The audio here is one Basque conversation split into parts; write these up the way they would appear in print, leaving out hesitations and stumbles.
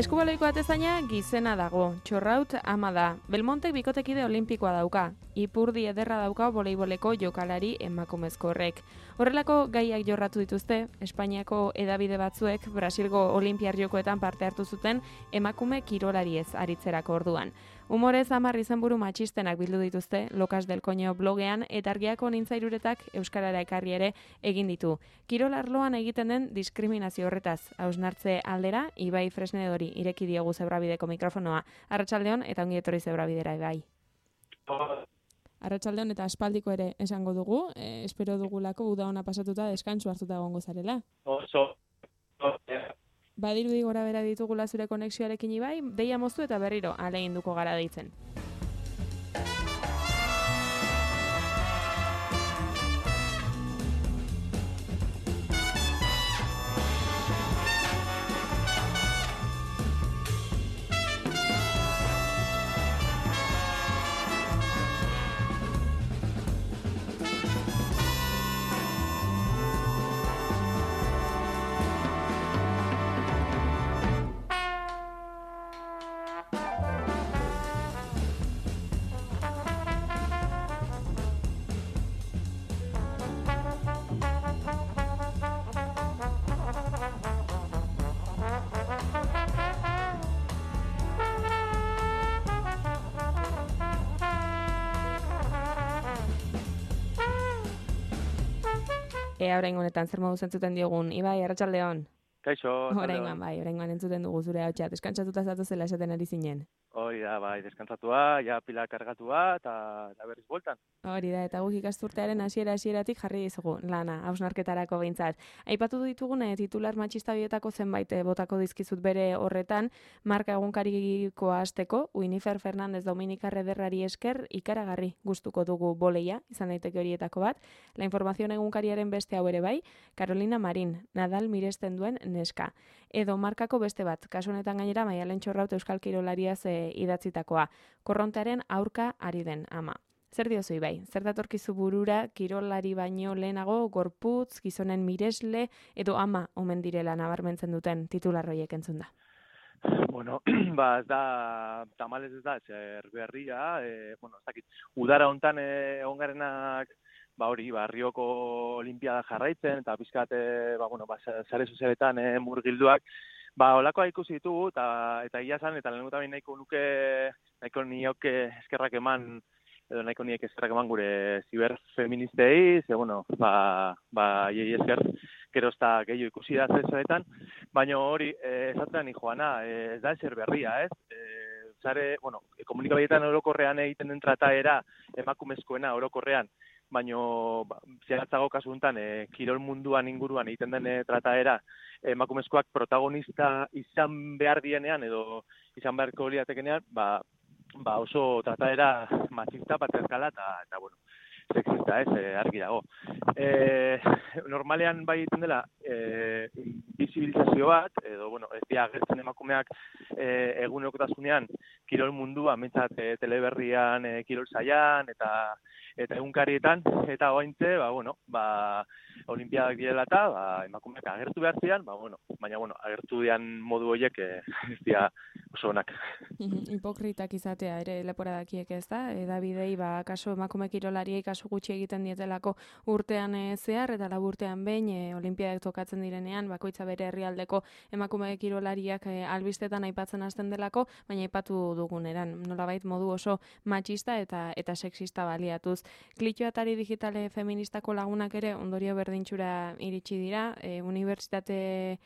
Eskubaloiko atezaina gizena dago, Txorraut ama da. Belmontek bikotekide olimpikoa dauka. Ipurdi ederra dauka voleiboleko jokalari emakumezko horrek. Horrelako gaiak jorratu dituzte, Espainiako hedabide batzuek Brasilgo Olinpiar Jokoetan parte hartu zuten emakume kirolariez aritzerako orduan. Humorez 10 izenburu matxistenak bildu dituzte Locas del Coño blogean eta Argiako Nintzairuretak euskarara ekarri ere egin ditu. Kirol arloan egiten den diskriminazio horretaz, hausnartze aldera, Ibai Fresnedori ireki diogu Zebrabideko mikrofonoa. Arratsaldeon eta ongi etorri Zebrabidera, Ibai. Arratsaldeon eta aspaldiko ere esango dugu, espero dugulako uda ona pasatuta deskantsu hartuta egongo zarela. Badirudi gora bera ditugula zure konexioarekin Ibai, deia moztu eta berriro ahaleginduko gara deitzen. Oraingo honetan zer modu zentzuten diogun, Ibai, arratsaldeon. Kaixo, Oraingoan entzuten dugu zure ahotsa, deskantsatuta zatozela esaten ari zinen. Hori da, bai, deskantzatua, ja pila kargatua eta berriz bueltan. Hori da, eta guk ikasturtearen hasieratik jarri dizugu lana, hausnarketarako behintzat. Aipatu ditugun titular matxista bietako zenbait botako dizkizut bere horretan, marka egunkarikoa hasteko, Winifred Fernandez Dominikar ederrari esker ikaragarri gustuko dugu boleia, izan daiteke horietako bat. La Información egunkariaren beste hau ere bai, Carolina Marin, Nadal miresten duen neska. Edo markako beste bat, kasu honetan gainera Maialen Txorraut euskal kirolariaz idatzitakoa, korrontearen aurka ari den ama. Zer diozu Ibai? Zer datorkizu burura kirolari baino lehenago gorputz, gizonen miresle edo ama omen direla nabarmentzen duten titularroiek entzun da? Bueno, ez da, tamalez ez da, zer berria, ez dakit, udara hontan egongarenak, Rioko Olimpiada jarraitzen, eta pizkat, sare sozialetan murgilduak, olakoa ikusi ditugu, eta ia zan, eta lehenengo tamen nahiko nioke eskerrak eman, edo nahiko niek eskerrak eman gure ziberfeministei, ze, iei esker, gero ez da gehiago ikusi da zezaretan, baina hori, esatzen ni joana, ez da ezer berria, ez? Komunikabideetan orokorrean egiten den trataera, emakumezkoena orokorrean, baina zehatzago kasu honetan kirol munduan inguruan egiten den trataera emakumezkoak protagonista izan behar dienean edo izan beharko liatekenean, oso trataera machista, patriarkala eta sexista, argi dago. Normalean bai egiten dela bisibilizazio bat, edo, ez dira agertzen emakumeak egunerokotasunean kirol mundua, mentzat teleberrian, kirol saian, eta egunkarietan, eta oaintze, olimpiadak direla eta emakumeak agertu behar zian, baina agertu dian modu horiek ez dira oso onak. Hipokritak izatea ere leporadakiek ez da, edabidei kaso emakume kirolariei kaso gutxi egiten dietelako urtean zehar, eta laburtean behin olimpiadak tokatzen direnean, bakoitza bere herrialdeko emakume kirolariak albistetan aipatzen hasten delako, baina aipatu duguneran, nolabait modu oso machista eta sexista baliatuz. Klitxoatari digitale feministako lagunak ere ondorio berdintxura iritsi dira, unibertsitate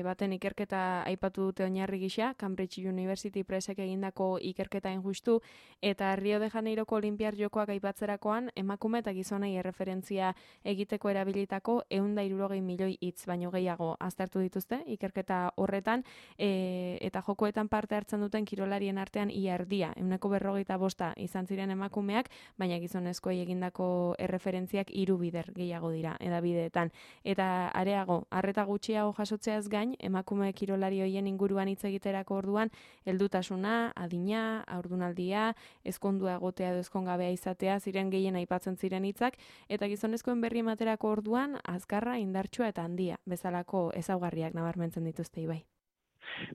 baten ikerketa aipatu dute oinarri gisa, Cambridge University Pressek egindako ikerketa injustu, eta Rio de Janeiroko Olimpiar Jokoak aipatzerakoan emakume eta gizonei erreferentzia egiteko erabilitako 160 milioi hitz baino gehiago aztertu dituzte ikerketa horretan, eta jokoetan parte hartzen duten kirolarien artean ia erdia, 145 izan ziren emakumeak, baina gizonezkoei egindako erreferentziak 3 bider gehiago dira edabideetan. Eta areago, arreta gutxiago jasotzeaz gain, emakume kirolari hoien inguruan hitz egiterako orduan, heldutasuna, adina, haurdunaldia, ezkondua egotea edo ezkongabea izatea ziren gehien aipatzen ziren hitzak, eta gizonezkoen berri ematerako orduan, azkarra, indartsua eta handia, bezalako ezaugarriak nabarmentzen dituzte Ibai.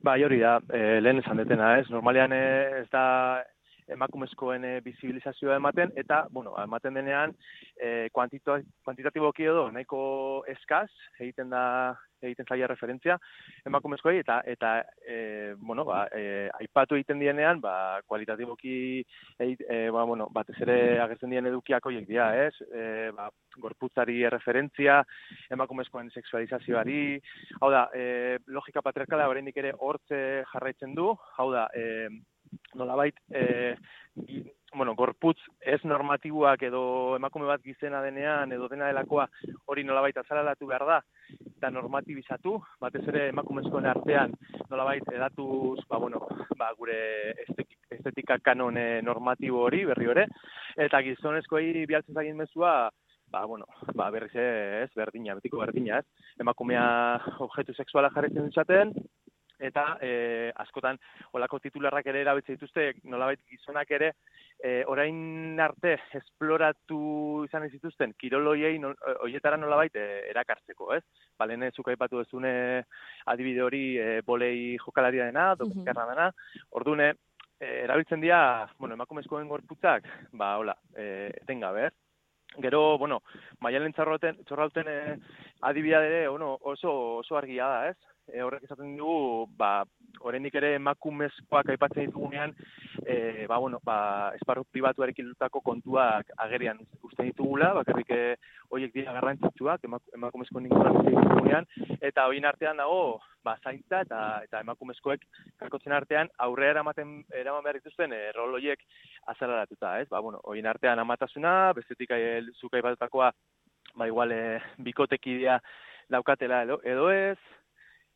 Bai, hori da, lehen esan detena, ez? Normalean ez da emakumezkoen bizibilizazioa ematen, eta, bueno, ematen denean, kuantitatiboki edo nahiko eskaz egiten zaia referentzia emakumezkoei, eta bueno, aipatu egiten dienean, kualitatiboki, batez ere agertzen dien edukiak horiek dira, ez? Gorputzari referentzia, emakumezkoen sexualizazioari, hau da, logika patriarkala oraindik ere hortze jarraitzen du, hau da, nolabait, gorputz ez normatiboak edo emakume bat gizena denean edo dena delakoa hori nolabait azalalatu behar da eta normatibizatu, batez ere emakumezkoen artean nolabait edatuz, gure estetika kanon normatibo hori berri hori, eta gizonezkoei bialtzen zagin mezua, berriz ez, berdina, betiko berdina, ez? Emakumea objektu sexuala jarretzen ditzaten, eta askotan olako titularrak ere erabiltzen dituzte, nolabait gizonak ere orain arte esploratu izan ez dituzten kiroloiei horietara nolabait erakartzeko, ez? Lehen zuk aipatu duzune adibide hori bolei jokalaria dena, domikarra dena, ordune erabiltzen dira, emakumezkoen gorputzak, etengabe, ez? Gero, Maialen Txorrauten adibidea ere oso argia da, ez? Horrek esaten dugu, oraindik ere emakumezkoak aipatzen ditugunean, esparru pribatuarekin lotutako kontuak agerian uste ditugula, bakarrik horiek dira garrantzitsuak, emakumezkoen inguruan uste ditugunean, eta horien artean dago, zaintza eta emakumezkoek kakotzen artean aurrera eraman behar dituzten rol horiek azalaratuta, ez? Horien artean amatasuna, bestetik zuk aipatutakoa, igual bikotekidea daukatela edo ez,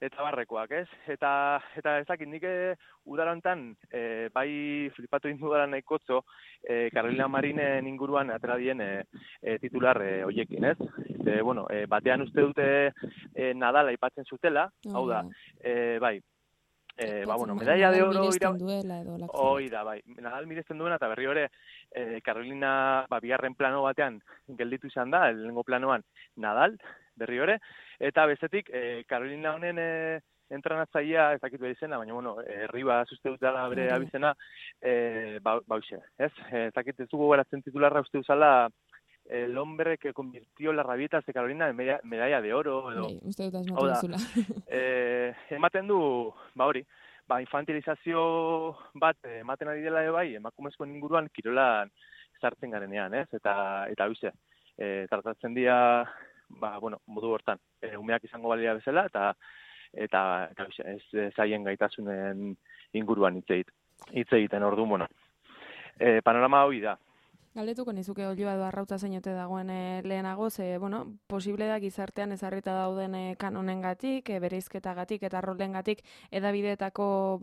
eta barrekoak, ez? Eta ez dakit, nik udara honetan, bai flipatu egin dudara nahikotzo, Carolina Marinen inguruan atera dien titular horiekin, ez? Batean uste dute Nadal aipatzen zutela, hau da, medalla de oro hoi da, Nadal miresten duena, eta berri hori Carolina bigarren plano batean gelditu izan da, lehenengo planoan Nadal, berri hori, eta bestetik Carolina honen entrenatzailea ez dakit behar izena, baina, Ribas uste dut dela bere abizena, bauxe, ez? Ez dakit ez dugu garatzen titularra uste duzala el hombre que convirtió las rabietas de Carolina en medalla de oro, edo. Uste dut asmatu duzula. Ematen du, hori, infantilizazio bat ematen ari dela emakumezkoen inguruan kirolan sartzen garenean, ez? Eta hoize, tratatzen dira, modu hortan, umeak izango balia bezala, eta ez zaien gaitasunen inguruan hitz egiten orduan, panorama hori da. Galdetuko nizuke Ollua edo Arrautza zeinote dagoen lehenago, ze, posible da gizartean ezarrita dauden kanonengatik, bereizketagatik eta rolengatik edabideetako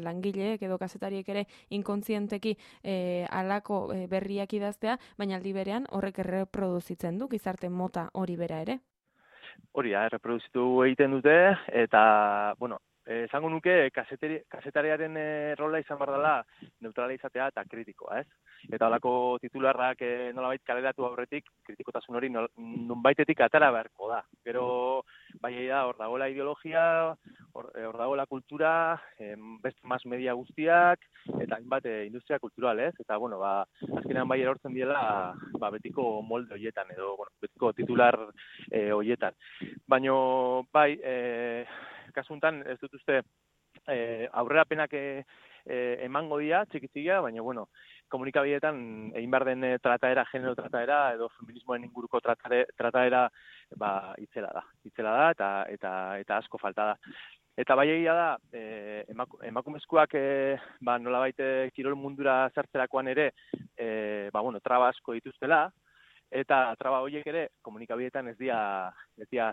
langileek edo kazetariek ere inkontzienteki halako berriak idaztea, baina aldi berean horrek erreproduzitzen du gizarte mota hori bera ere. Hori da, erreproduzitu egiten dute, eta, esango nuke kazetariaren rola izan behar dela neutrala izatea eta kritikoa, ez? Eta holako titularrak nolabait kaleratu aurretik, kritikotasun hori nonbaitetik atara beharko da. Gero, hor dagoela ideologia, hor dagoela kultura, beste mas media guztiak, eta hainbat industria kultural, ez? Eta, azkenean erortzen diela, betiko molde horietan, edo, betiko titular horietan. Baina, kasuntan ez dut uste aurrerapenak emango dira, txikitzigia, baina, komunikabideetan egin behar den trataera, genero trataera, edo feminismoen inguruko trataera, itzela da, eta asko falta da. Eta egia da, emakumezkoak nolabait kirol mundura sartzerakoan ere, traba asko dituztela, eta traba horiek ere komunikabideetan ez dira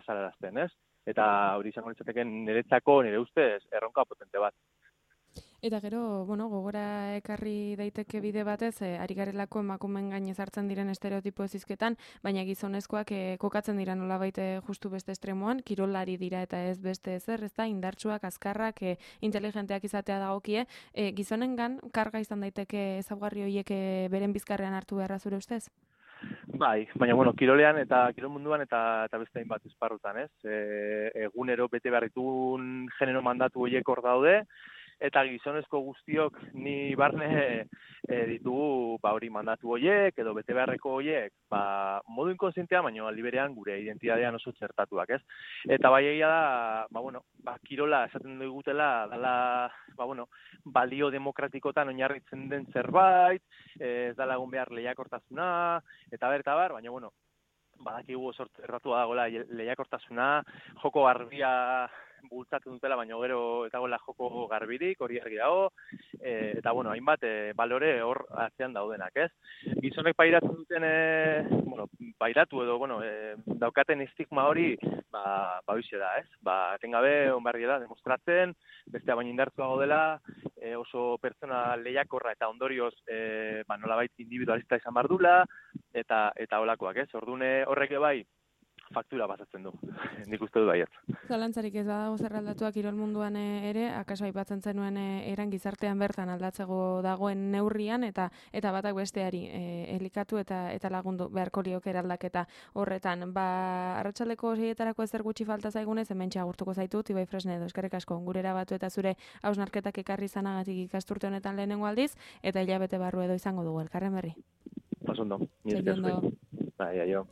zalarazten, ez? Eta hori izango litzateken niretzako, nire ustez, erronka potente bat. Eta gero, gogora ekarri daiteke bide batez, ari garelako emakumeen gain ezartzen diren estereotipo ezizketan, baina gizonezkoak kokatzen dira nolabait justu beste estremoan, kirolari dira eta ez beste ezer, ez da, indartsuak, azkarrak, inteligenteak izatea dagokie, gizonengan karga izan daiteke ezaugarri horiek beren bizkarrean hartu beharra zure ustez? Bai, baina, bueno, kirolean eta kirol munduan eta beste hainbat esparrutan, ez? Egunero bete behar ditun genero mandatu horiek hor daude, eta gizonezko guztiok ni barne ditugu hori mandatu horiek edo bete beharreko horiek modu inkonsientean, baina aldi berean gure identitatean oso txertatuak, ez? Eta bai egia da, kirola esaten digutela dala, balio demokratikotan oinarritzen den zerbait, ez dala egon behar lehiakortasuna, eta bar, baina, badakigu oso erratua dagoela lehiakortasuna, joko garbia bultzatzen dutela, baina gero eta gola joko garbirik, hori argi dago, eta, hainbat balore hor atzean daudenak, ez? Gizonek pairatzen duten, pairatu edo, daukaten estigma hori, hoize da, ez? Etengabe, onbarri da, demostratzen, bestea baina indartzuago dela, oso pertsona lehiakorra eta ondorioz, nolabait individualista izan bardula, eta holakoak, ez? Ordune horrek bai, faktura pasatzen du, nik uste dut baiet. Zalantzarik ez badago zer aldatuak kirol munduan ere, akaso aipatzen zenuen eran gizartean bertan aldatzeko dagoen neurrian, eta batak besteari elikatu eta lagundu beharko lioke eraldaketa horretan. Arratsaldeko 6etarako ezer gutxi falta zaigunez, hementxe agurtuko zaitut, Ibai Fresnedo, eskerrik asko, gurera batu eta zure hausnarketak ekarri izanagatik ikasturte honetan lehenengo aldiz, eta hilabete barru edo izango dugu, elkarren berri. Pasondo. Txekiondo. Bai, aio.